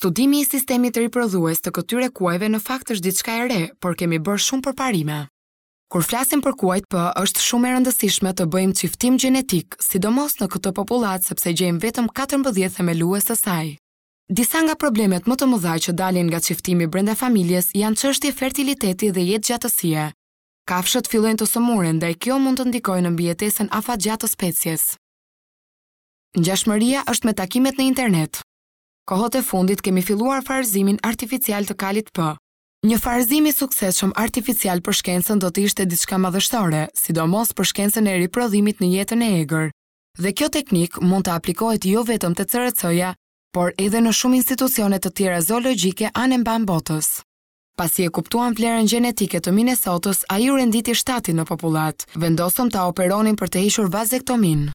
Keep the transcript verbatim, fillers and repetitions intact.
Studimi i sistemit riprodhues të këtyre kuajve në fakt është diçka e re, por kemi bërë shumë përparime. Kur flasim për kuajt P, është shumë e rëndësishme të bëjmë çiftim gjenetik, sidomos në këtë popullatë, sepse gjejmë vetëm katërmbëdhjetë themelues të saj. Disa nga problemet më të mëdha që dalin nga çiftimi brenda familjes janë çështje fertiliteti dhe jetëgjatësie. Kafshët fillojnë të sëmuren, ndaj kjo mund të ndikojë në mbijetesën afatgjatë të species. Ngjashmëria është me takimet në internet. Kohët e fundit kemi filluar farëzimin artificial të kalit P. Një farëzim i suksesshëm artificial për shkencën do të ishte diçka madhështore, sidomos për shkencën e riprodhimit në jetën e egër. Dhe kjo teknikë mund të aplikohet jo vetëm te C R C-ja, por edhe në shumë institucione të tjera zoologjike anë e mbanë botës. Pasi e kuptuan vlerën gjenetike të Minnesotës, ai u renditi shtati në popullatë. Vendosëm ta operonin për të hequr vazektomin.